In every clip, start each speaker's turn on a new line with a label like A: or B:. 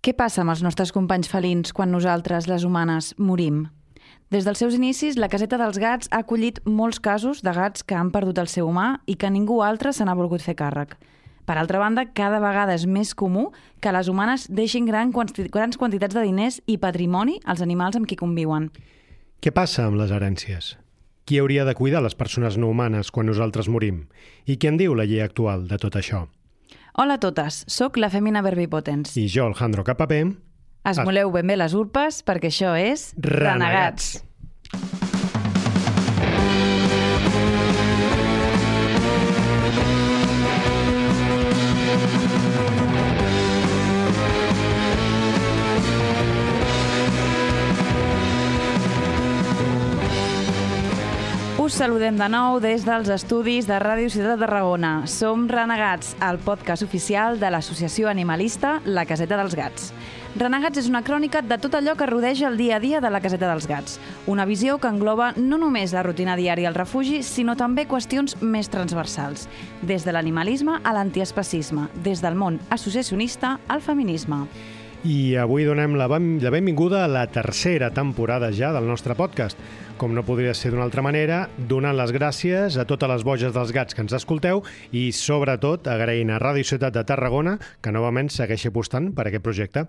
A: Què passa amb els nostres companys felins quan nosaltres, les humanes, morim? Des dels seus inicis, la Caseta dels Gats ha acollit molts casos de gats que han perdut el seu humà i que ningú altre se n'ha volgut fer càrrec. Per altra banda, cada vegada és més comú que les humanes deixin grans quantitats de diners i patrimoni als animals amb qui conviuen.
B: Què passa amb les herències? Qui hauria de cuidar les persones no humanes quan nosaltres morim? I què en diu la llei actual de tot això?
A: Hola a totes, sóc la Femina Verbipotens.
B: I jo, Alejandro Capapé.
A: Esmoleu ben bé les urpes perquè això és
B: Renegats.
A: Us saludem de nou des dels estudis de Ràdio Ciutat de Tarragona. Som Renegats, el podcast oficial de l'associació animalista La Caseta dels Gats. Renegats és una crònica de tot allò que rodeja el dia a dia de la Caseta dels Gats. Una visió que engloba no només la rutina diària al refugi, sinó també qüestions més transversals, des de l'animalisme a l'antiespecisme, des del món associacionista al feminisme.
B: I avui donem la benvinguda a la tercera temporada ja del nostre podcast. Com no podria ser d'una altra manera, donant les gràcies a totes les boges dels gats que ens escolteu i, sobretot, agraint a Ràdio Ciutat de Tarragona que novament segueixi apostant per aquest projecte.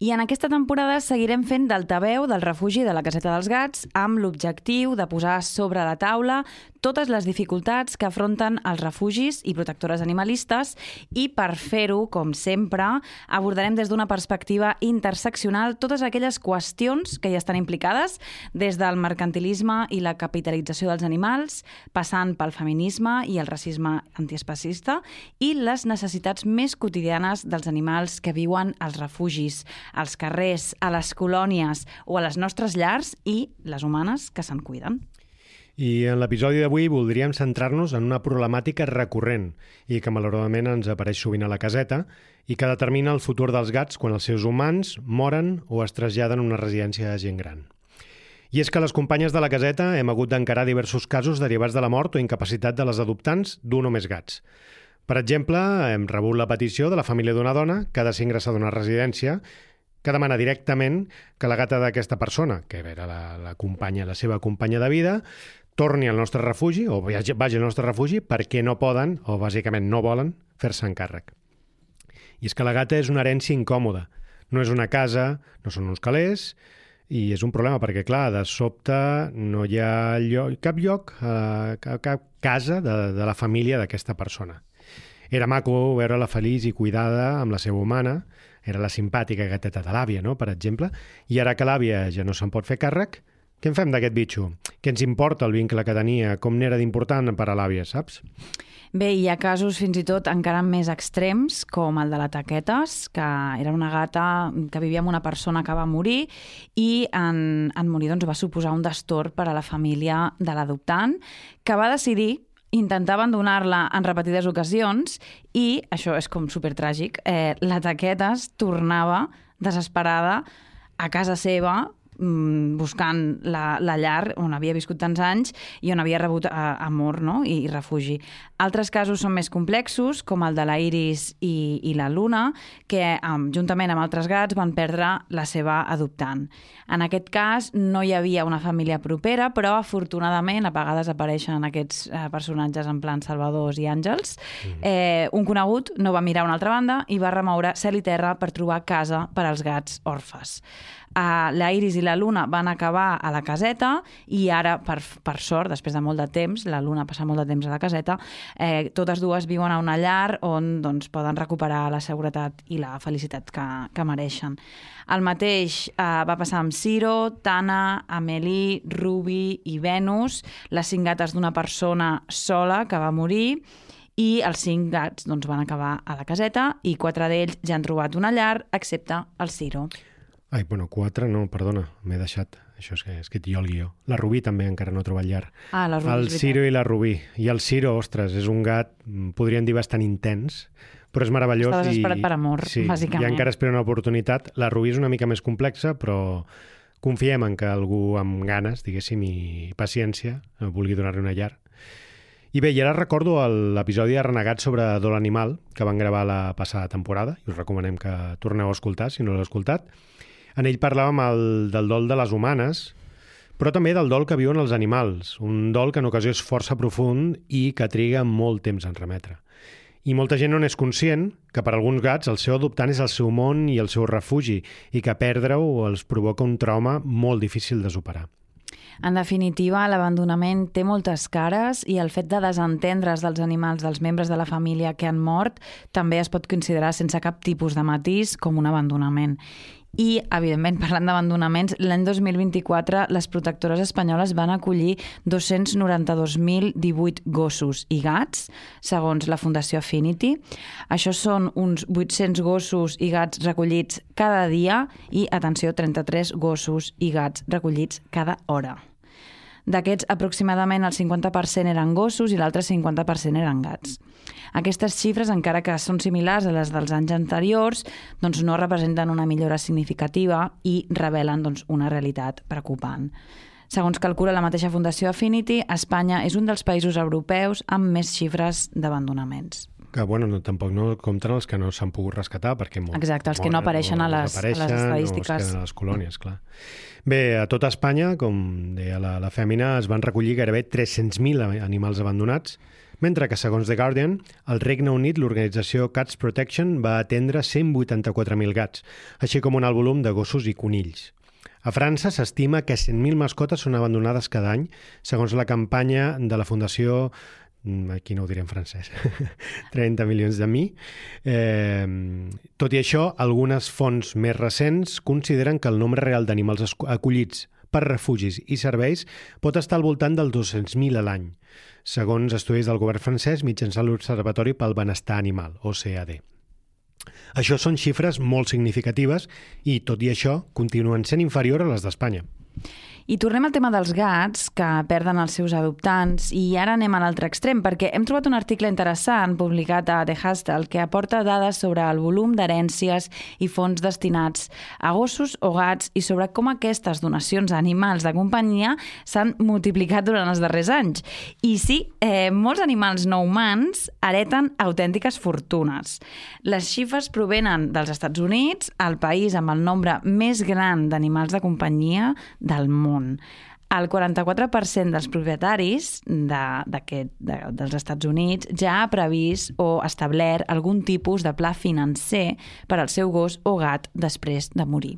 A: I en aquesta temporada seguirem fent d'altaveu del refugi de la Caseta dels Gats amb l'objectiu de posar sobre la taula totes les dificultats que afronten els refugis i protectores animalistes i, per fer-ho, com sempre, abordarem des d'una perspectiva interseccional totes aquelles qüestions que hi estan implicades, des del mercantilisme i la capitalització dels animals, passant pel feminisme i el racisme antiespecista i les necessitats més quotidianes dels animals que viuen als refugis, als carrers, a les colònies o a les nostres llars i les humanes que se'n cuiden.
B: I en l'episodi d'avui voldríem centrar-nos en una problemàtica recurrent i que malauradament ens apareix sovint a la caseta i que determina el futur dels gats quan els seus humans moren o es traslladen a una residència de gent gran. I és que les companyes de la caseta hem hagut d'encarar diversos casos derivats de la mort o incapacitat de les adoptants d'un o més gats. Per exemple, hem rebut la petició de la família d'una dona que ha de ser ingressada a una residència que demana directament que la gata d'aquesta persona, que era la seva companya de vida, torni al nostre refugi o vagi al nostre refugi perquè no poden, o bàsicament no volen, fer-se encàrrec. I és que la gata és una herència incòmoda. No és una casa, no són uns calés, i és un problema perquè, clar, de sobte no hi ha cap lloc, cap casa de la família d'aquesta persona. Era maco veure-la feliç i cuidada amb la seva humana, era la simpàtica gateta de l'àvia, no?, per exemple, i ara que l'àvia ja no se'n pot fer càrrec, què en fem d'aquest bitxo? Què ens importa el vincle que tenia? Com n'era d'important per a l'àvia, saps?
A: Bé, hi ha casos fins i tot encara més extrems, com el de la Taquetes, que era una gata que vivia amb una persona que va morir i en morir doncs, va suposar un destorb per a la família de l'adoptant, que va decidir intentar abandonar-la en repetides ocasions i, això és com supertràgic, la Taquetes tornava desesperada a casa seva buscant la llar on havia viscut tants anys i on havia rebut amor, no?, i refugi. Altres casos són més complexos, com el de la Iris i la Luna, que juntament amb altres gats van perdre la seva adoptant. En aquest cas no hi havia una família propera, però afortunadament a vegades apareixen aquests personatges en plan salvadors i àngels. Un conegut no va mirar a una altra banda i va remoure cel i terra per trobar casa per als gats orfes. La Iris i la Luna van acabar a la caseta i ara, per sort, després de molt de temps, la Luna passa molt de temps a la caseta, totes dues viuen a una llar on doncs, poden recuperar la seguretat i la felicitat que mereixen. El mateix va passar amb Ciro, Tana, Amélie, Ruby i Venus, les 5 gates d'una persona sola que va morir, i els 5 gats doncs, van acabar a la caseta i 4 d'ells ja han trobat una llar, excepte el Ciro.
B: Ai, bueno, 4 no, perdona, m'he deixat. Això és que jo el guió. La Rubí també encara no ha trobat llar.
A: La Rubí,
B: el Ciro i la Rubí. I el Ciro, ostres, és un gat, podríem dir, bastant intens, però és meravellós.
A: Està desesperat per amor, bàsicament.
B: I encara espera una oportunitat. La Rubí és una mica més complexa, però confiem en que algú amb ganes, diguéssim, i paciència vulgui donar-li una llar. I bé, i ara recordo l'episodi de Renegat sobre Dol Animal, que van gravar la passada temporada, i us recomanem que torneu a escoltar, si no l'heu escoltat. En ell parlàvem del dol de les humanes, però també del dol que viuen els animals, un dol que en ocasió és força profund i que triga molt temps en remetre. I molta gent no n'és conscient que per alguns gats el seu adoptant és el seu món i el seu refugi i que perdre-ho els provoca un trauma molt difícil de superar.
A: En definitiva, l'abandonament té moltes cares i el fet de desentendre's dels animals dels membres de la família que han mort també es pot considerar sense cap tipus de matís com un abandonament. I, evidentment, parlant d'abandonaments, l'any 2024 les protectores espanyoles van acollir 292.018 gossos i gats, segons la Fundació Affinity. Això són uns 800 gossos i gats recollits cada dia i, atenció, 33 gossos i gats recollits cada hora. D'aquests, aproximadament el 50% eren gossos i l'altre 50% eren gats. Aquestes xifres, encara que són similars a les dels anys anteriors, doncs no representen una millora significativa i revelen una realitat preocupant. Segons calcula la mateixa Fundació Affinity, Espanya és un dels països europeus amb més xifres d'abandonaments.
B: Que, tampoc no compten els que no s'han pogut rescatar, perquè
A: exacte, els que no apareixen a les estadístiques.
B: O es queden a les colònies, clar. Bé, a tota Espanya, com deia la Fèmina, es van recollir gairebé 300.000 animals abandonats, mentre que, segons The Guardian, al Regne Unit l'organització Cats Protection va atendre 184.000 gats, així com un alt volum de gossos i conills. A França s'estima que 100.000 mascotes són abandonades cada any, segons la campanya de la Fundació, aquí no ho diré en francès, 30 milions de mi. Tot i això, algunes fonts més recents consideren que el nombre real d'animals acollits per refugis i serveis pot estar al voltant dels 200.000 a l'any, segons estudis del govern francès mitjançant l'Observatori pel Benestar Animal, OCAD. Això són xifres molt significatives i, tot i això, continuen sent inferiors a les d'Espanya.
A: I tornem al tema dels gats, que perden els seus adoptants, i ara anem a l'altre extrem, perquè hem trobat un article interessant publicat a The Hustle que aporta dades sobre el volum d'herències i fons destinats a gossos o gats i sobre com aquestes donacions a animals de companyia s'han multiplicat durant els darrers anys. I sí, molts animals no humans hereten autèntiques fortunes. Les xifres provenen dels Estats Units, el país amb el nombre més gran d'animals de companyia del món. El 44% dels propietaris dels Estats Units ja ha previst o establert algun tipus de pla financer per al seu gos o gat després de morir.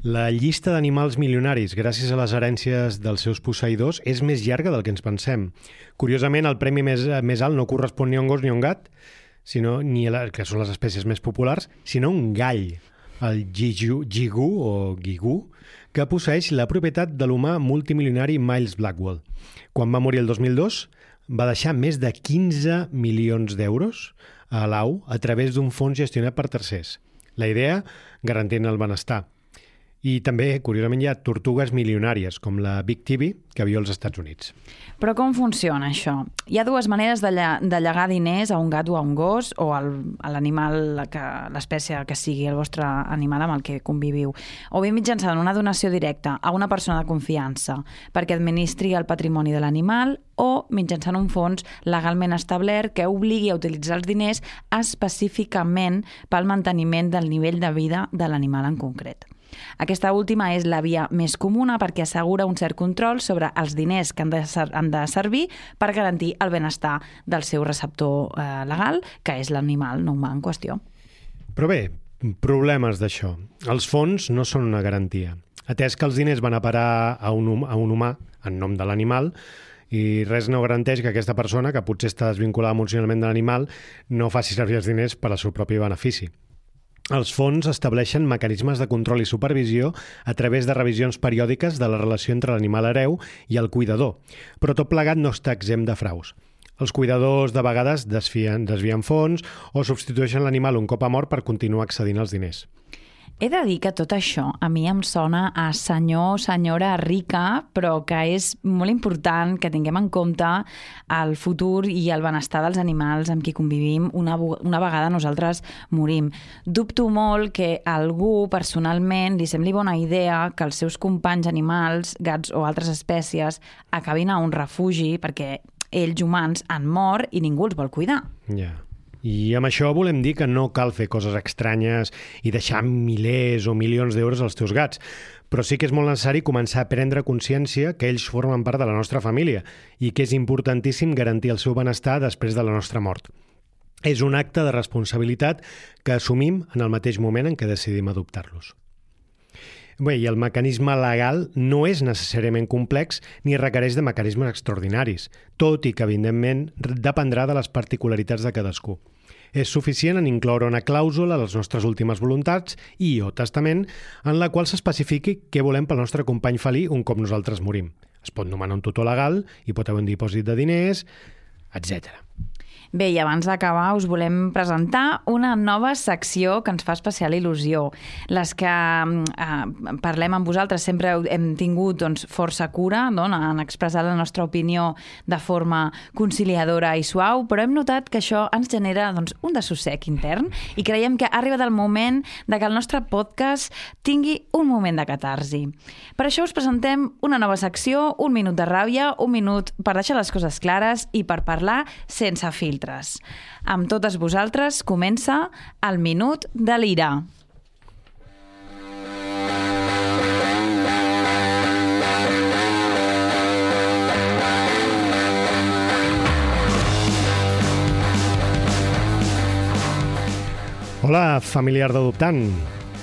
B: La llista d'animals milionaris gràcies a les herències dels seus posseïdors és més llarga del que ens pensem. Curiosament, el premi més alt no correspon ni a un gos ni a un gat, que són les espècies més populars, sinó a un gall, el gigú, que posseeix la propietat de l'humà multimilionari Miles Blackwell. Quan va morir el 2002, va deixar més de 15 milions d'euros a l'AU a través d'un fons gestionat per tercers. La idea, garantint el benestar. I també, curiosament, hi ha tortugues milionàries, com la Big TV, que viu als Estats Units.
A: Però com funciona això? Hi ha dues maneres de llegar diners a un gat o a un gos o a l'animal, l'espècie que sigui el vostre animal amb el que conviviu. O bé mitjançant una donació directa a una persona de confiança perquè administri el patrimoni de l'animal o mitjançant un fons legalment establert que obligui a utilitzar els diners específicament pel manteniment del nivell de vida de l'animal en concret. Aquesta última és la via més comuna perquè assegura un cert control sobre els diners que han de servir per garantir el benestar del seu receptor legal, que és l'animal no humà en qüestió.
B: Però bé, problemes d'això. Els fons no són una garantia. Atès que els diners van a parar a un humà en nom de l'animal, i res no garanteix que aquesta persona, que potser està desvinculada emocionalment de l'animal, no faci servir els diners per al seu propi benefici. Els fons estableixen mecanismes de control i supervisió a través de revisions periòdiques de la relació entre l'animal hereu i el cuidador, però tot plegat no està exempt de fraus. Els cuidadors de vegades desvien fons o substitueixen l'animal un cop ha mort per continuar accedint als diners.
A: He de dir que tot això a mi em sona a senyor o senyora rica, però que és molt important que tinguem en compte el futur i el benestar dels animals amb qui convivim una vegada nosaltres morim. Dubto molt que a algú personalment li sembli bona idea que els seus companys animals, gats o altres espècies, acabin a un refugi perquè ells humans han mort i ningú els vol cuidar.
B: Ja. I amb això volem dir que no cal fer coses estranyes i deixar milers o milions d'euros als teus gats, però sí que és molt necessari començar a prendre consciència que ells formen part de la nostra família i que és importantíssim garantir el seu benestar després de la nostra mort. És un acte de responsabilitat que assumim en el mateix moment en què decidim adoptar-los. Bé, i el mecanisme legal no és necessàriament complex ni requereix de mecanismes extraordinaris, tot i que, evidentment, dependrà de les particularitats de cadascú. És suficient en incloure una clàusula a les nostres últimes voluntats i o testament en la qual s'especifiqui què volem pel nostre company felí un cop nosaltres morim. Es pot nomenar un tutor legal, hi pot haver un dipòsit de diners, etc.
A: Bé, i abans d'acabar us volem presentar una nova secció que ens fa especial il·lusió. Les que parlem amb vosaltres sempre hem tingut força cura en expressar la nostra opinió de forma conciliadora i suau, però hem notat que això ens genera un dessossec intern i creiem que ha arribat el moment de que el nostre podcast tingui un moment de catarsi. Per això us presentem una nova secció, un minut de ràbia, un minut per deixar les coses clares i per parlar sense filtres. Amb totes vosaltres comença el Minut de l'Ira.
B: Hola, familiar d'adoptant.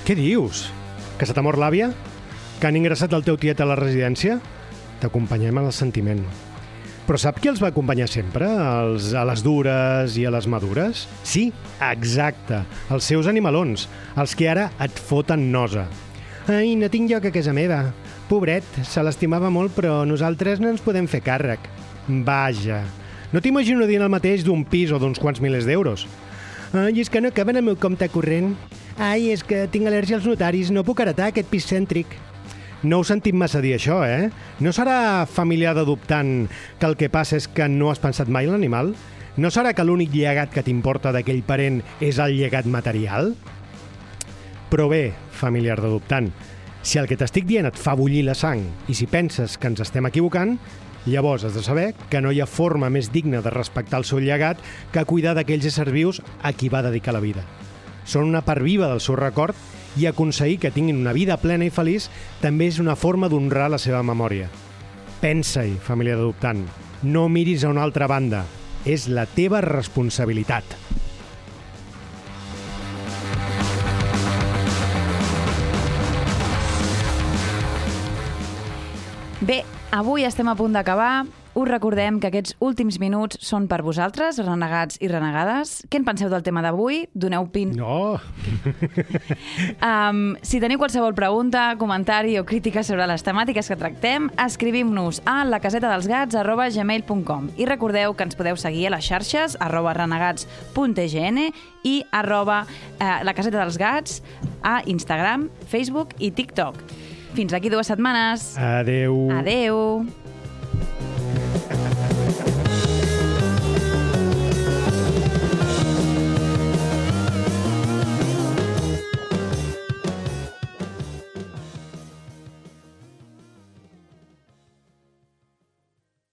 B: Què dius? Que se t'ha mort l'àvia? Que han ingressat el teu tiet a la residència? T'acompanyem en el sentiment. Però sap qui els va acompanyar sempre? A les dures i a les madures? Sí, exacte, els seus animalons, els que ara et foten nosa. Ai, no tinc lloc a casa meva. Pobret, se l'estimava molt, però nosaltres no ens podem fer càrrec. Vaja, no t'imagino dient el mateix d'un pis o d'uns quants milers d'euros. Ai, és que no caben al meu compte corrent. Ai, és que tinc al·lèrgia als notaris, no puc heretar aquest pis cèntric. No heu sentit massa dir això, eh? No serà familiar d'adoptant que el que passa és que no has pensat mai en l'animal? No serà que l'únic llegat que t'importa d'aquell parent és el llegat material? Però bé, familiar d'adoptant, si el que t'estic dient et fa bullir la sang i si penses que ens estem equivocant, llavors has de saber que no hi ha forma més digna de respectar el seu llegat que cuidar d'aquells éssers vius a qui va dedicar la vida. Són una part viva del seu record i aconseguir que tinguin una vida plena i feliç també és una forma d'honrar la seva memòria. Pensa-hi, família d'adoptant. No miris a una altra banda. És la teva responsabilitat.
A: Bé, avui estem a punt d'acabar. Us recordem que aquests últims minuts són per vosaltres, renegats i renegades. Què en penseu del tema d'avui? Doneu
B: No!
A: Si teniu qualsevol pregunta, comentari o crítica sobre les temàtiques que tractem, escrivim-nos a lacasetadelsgats@gmail.com i recordeu que ens podeu seguir a les xarxes @renegats.tgn i @lacasetadelsgats a Instagram, Facebook i TikTok. Fins aquí 2 setmanes.
B: Adeu.
A: Adeu.